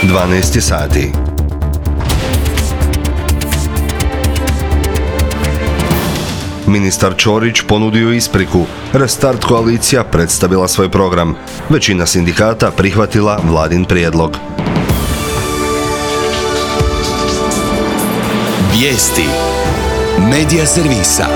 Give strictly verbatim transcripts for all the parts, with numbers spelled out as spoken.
dvanaest je sati. Ministar Ćorić ponudio ispriku. Restart koalicija predstavila svoj program. Većina sindikata prihvatila vladin prijedlog. Vijesti Medija servisa.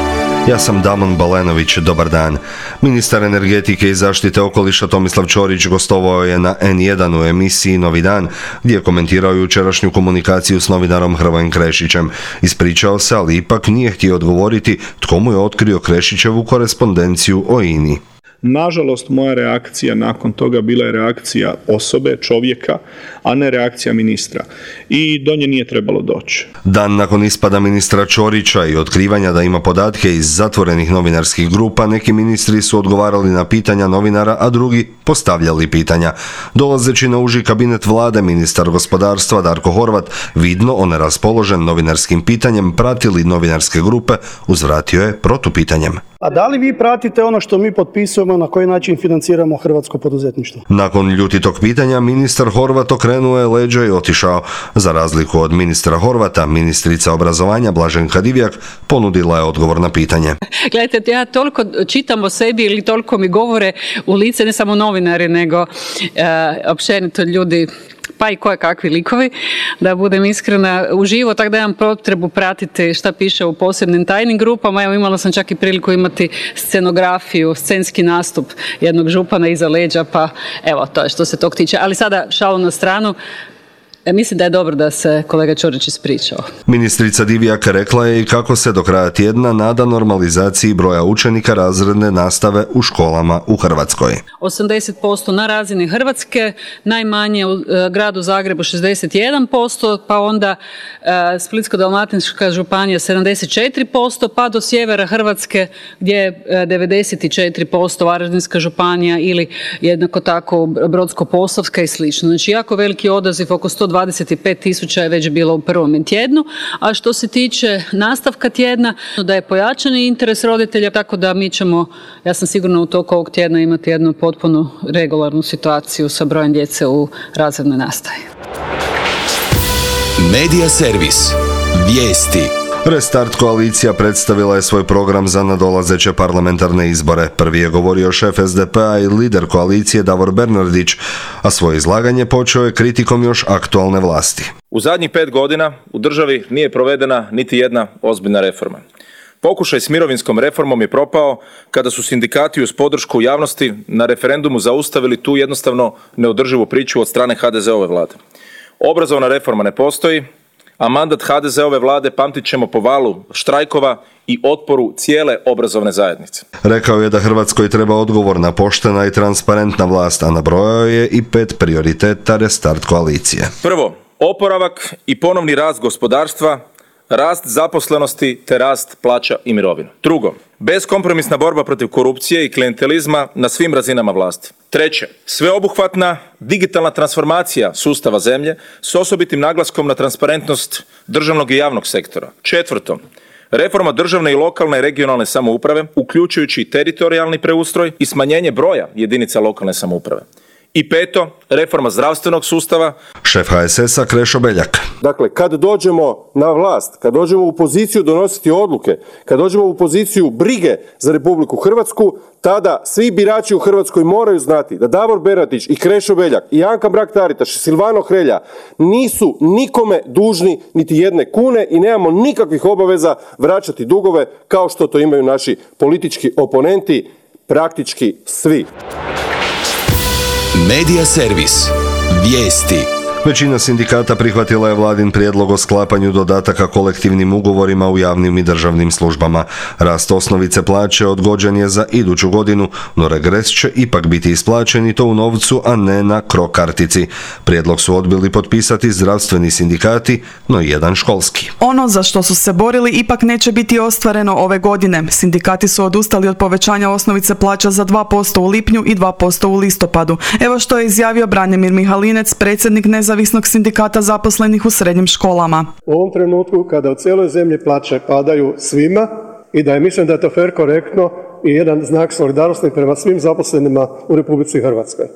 Ja sam Damon Balenović, dobar dan. Ministar energetike i zaštite okoliša Tomislav Ćorić gostovao je na en jedan u emisiji Novi dan, gdje je komentirao jučerašnju komunikaciju s novinarom Hrvojem Krešićem. Ispričao se, ali ipak nije htio odgovoriti tko mu je otkrio Krešićevu korespondenciju o I N I. Nažalost, moja reakcija nakon toga bila je reakcija osobe, čovjeka, a ne reakcija ministra. I do nje nije trebalo doći. Dan nakon ispada ministra Ćorića i otkrivanja da ima podatke iz zatvorenih novinarskih grupa, neki ministri su odgovarali na pitanja novinara, a drugi postavljali pitanja. Dolazeći na uži kabinet vlade, ministar gospodarstva Darko Horvat, vidno on raspoložen novinarskim pitanjem, pratili novinarske grupe, uzvratio je protupitanjem. A da li vi pratite ono što mi potpisujemo, na koji način financiramo hrvatsko poduzetništvo? Nakon ljutitog pitanja, ministar Horvat okrenuo je leđa i otišao. Za razliku od ministra Horvata, ministrica obrazovanja Blaženka Divjak ponudila je odgovor na pitanje. Gledajte, ja toliko čitam o sebi ili toliko mi govore u lice, ne samo novinari, nego e, općenito ljudi, pa i koje kakvi likovi, da budem iskrena, uživo, tako da imam potrebu pratiti šta piše u posebnim tajnim grupama. Evo, imala sam čak i priliku imati scenografiju, scenski nastup jednog župana iza leđa, pa evo, to je što se tog tiče. Ali sada šalu na stranu. Mislim da je dobro da se kolega Ćorić ispričao. Ministrica Divjak rekla je i kako se do kraja tjedna nada normalizaciji broja učenika razredne nastave u školama u Hrvatskoj. osamdeset posto na razini Hrvatske, najmanje u gradu Zagrebu šezdeset jedan posto, pa onda e, Splitsko-dalmatinska županija sedamdeset četiri posto, pa do sjevera Hrvatske gdje je devedeset četiri posto, Varaždinska županija ili jednako tako Brodsko-posavska i slično. Znači jako veliki odaziv, oko sto dvadeset pet tisuća je već bilo u prvom tjednu, a što se tiče nastavka tjedna, da je pojačani interes roditelja, tako da mi ćemo, ja sam sigurna u toku ovog tjedna imati jednu potpuno regularnu situaciju sa brojem djece u razrednoj nastavi. Medija servis. Vijesti. Restart koalicija predstavila je svoj program za nadolazeće parlamentarne izbore. Prvi je govorio šef es de pe a i lider koalicije Davor Bernardić, a svoje izlaganje počeo je kritikom još aktualne vlasti. U zadnjih pet godina u državi nije provedena niti jedna ozbiljna reforma. Pokušaj s mirovinskom reformom je propao kada su sindikati uz podršku javnosti na referendumu zaustavili tu jednostavno neodrživu priču od strane ha de ze ove vlade. Obrazovna reforma ne postoji, a mandat ha de ze ove vlade pamtit ćemo po valu štrajkova i otporu cijele obrazovne zajednice. Rekao je da Hrvatskoj treba odgovorna, poštena i transparentna vlast, a nabrojao je i pet prioriteta restart koalicije. Prvo, oporavak i ponovni rast gospodarstva, rast zaposlenosti te rast plaća i mirovina. Drugo, beskompromisna borba protiv korupcije i klijentelizma na svim razinama vlasti. Treće, sveobuhvatna digitalna transformacija sustava zemlje s osobitim naglaskom na transparentnost državnog i javnog sektora. Četvrto, reforma državne i lokalne i regionalne samouprave, uključujući i teritorijalni preustroj i smanjenje broja jedinica lokalne samouprave. I peto, reforma zdravstvenog sustava. Šef ha es es a Krešo Beljak. Dakle, kad dođemo na vlast, kad dođemo u poziciju donositi odluke, kad dođemo u poziciju brige za Republiku Hrvatsku, tada svi birači u Hrvatskoj moraju znati da Davor Bernardić i Krešo Beljak i Anka Mrak-Taritaš i Silvano Hrelja nisu nikome dužni niti jedne kune i nemamo nikakvih obaveza vraćati dugove kao što to imaju naši politički oponenti, praktički svi. Medija servis. Vijesti. Većina sindikata prihvatila je vladin prijedlog o sklapanju dodataka kolektivnim ugovorima u javnim i državnim službama. Rast osnovice plaće odgođen je za iduću godinu, no regres će ipak biti isplaćen i to u novcu, a ne na cro kartici. Prijedlog su odbili potpisati zdravstveni sindikati, no i jedan školski. Ono za što su se borili ipak neće biti ostvareno ove godine. Sindikati su odustali od povećanja osnovice plaća za dva posto u lipnju i dva posto u listopadu. Evo što je izjavio Branimir Mihalinec, predsjednik Nezavisnog sindikata zaposlenih u srednjim školama. U ovom trenutku kada u cijeloj zemlji plaće padaju svima i da je, mislim da je to fer korektno i jedan znak solidarnosti prema svim zaposlenima u Republici Hrvatskoj. E,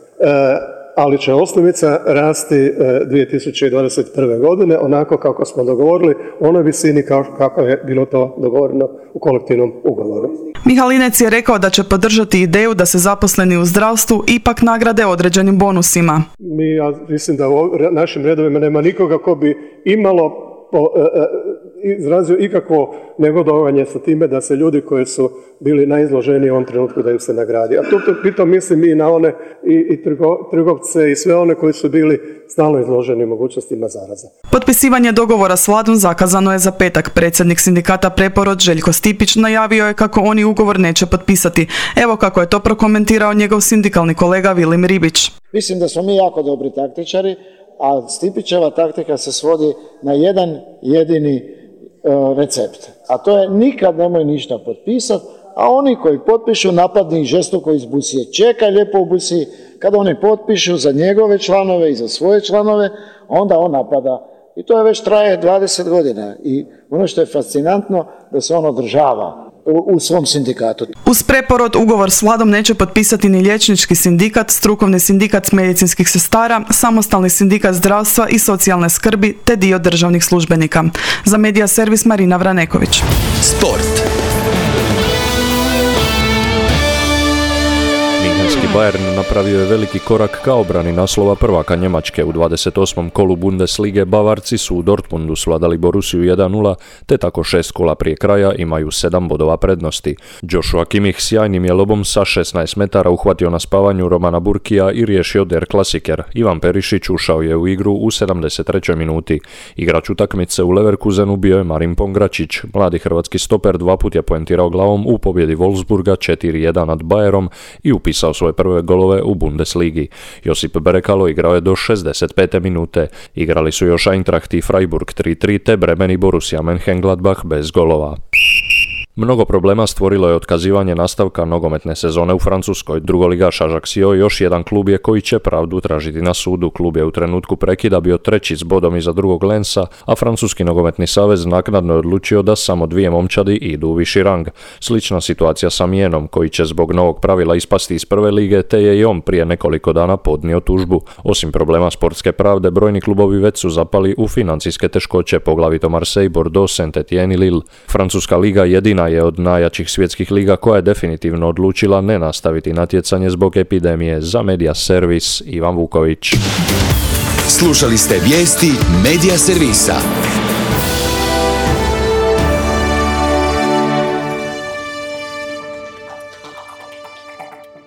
ali će osnovica rasti dvije tisuće dvadeset prve. godine onako kako smo dogovorili, u onoj visini kako je bilo to dogovoreno u kolektivnom ugovoru. Mihalinec je rekao da će podržati ideju da se zaposleni u zdravstvu ipak nagrade određenim bonusima. Mi, ja mislim da u našim redovima nema nikoga ko bi imalo po, e, e, izrazio ikakvo negodovanje sa time da se ljudi koji su bili najizloženiji u ovom trenutku da im se nagradi. A tu pitam mislim i na one i, i trgo, trgovce i sve one koji su bili stalno izloženi mogućnostima zaraza. Potpisivanje dogovora s vladom zakazano je za petak. Predsjednik sindikata Preporod Željko Stipić najavio je kako oni ugovor neće potpisati. Evo kako je to prokomentirao njegov sindikalni kolega Vilim Ribić. Mislim da smo mi jako dobri taktičari, a Stipićeva taktika se svodi na jedan jedini uh, recept. A to je nikad nemoj ništa potpisati, a oni koji potpišu napadni ih žestoko iz busije. Čekaj lijepo u busiji, kada oni potpišu za njegove članove i za svoje članove, onda on napada. I to je već traje dvadeset godina. I ono što je fascinantno da se on održava u svom sindikatu. Uz Preporod ugovor s vladom neće potpisati ni liječnički sindikat, strukovni sindikat medicinskih sestara, samostalni sindikat zdravstva i socijalne skrbi te dio državnih službenika. Za Medija servis Marina Vraneković. Sport. Bayern napravio je veliki korak ka obrani naslova prvaka Njemačke. U dvadeset osmom kolu Bundeslige Bavarci su u Dortmundu svladali Borussiju jedan nula, te tako šest kola prije kraja imaju sedam bodova prednosti. Joshua Kimmich sjajnim je lobom sa šesnaest metara uhvatio na spavanju Romana Burkija i riješio Der Klasiker. Ivan Perišić ušao je u igru u sedamdeset trećoj minuti. Igrač utakmice u Leverkusenu bio je Marin Pongračić. Mladi hrvatski stoper dva put je poentirao glavom u pobjedi Wolfsburga četiri jedan nad Bayerom i upisao svoje prve golove u Bundesligi. Josip Berekalo igrao je do šezdeset pete minute. Igrali su još Eintracht i Freiburg tri tri te Bremen i Borussia Mönchengladbach bez golova. Mnogo problema stvorilo je otkazivanje nastavka nogometne sezone u Francuskoj. Drugoligaš Ajaccio još jedan klub je koji će pravdu tražiti na sudu. Klub je u trenutku prekida bio treći s bodom iza drugog Lensa, a Francuski nogometni savez naknadno je odlučio da samo dvije momčadi idu u viši rang. Slična situacija sa Mijenom, koji će zbog novog pravila ispasti iz prve lige, te je i on prije nekoliko dana podnio tužbu. Osim problema sportske pravde, brojni klubovi već su zapali u financijske teškoće, poglavito Marseille, Bordeaux, Saint-Étienne i Lille. Francuska liga jedina je od najjačih svjetskih liga koja je definitivno odlučila ne nastaviti natjecanje zbog epidemije. Za Medija servis Ivan Vuković. Slušali ste vijesti Medija servisa.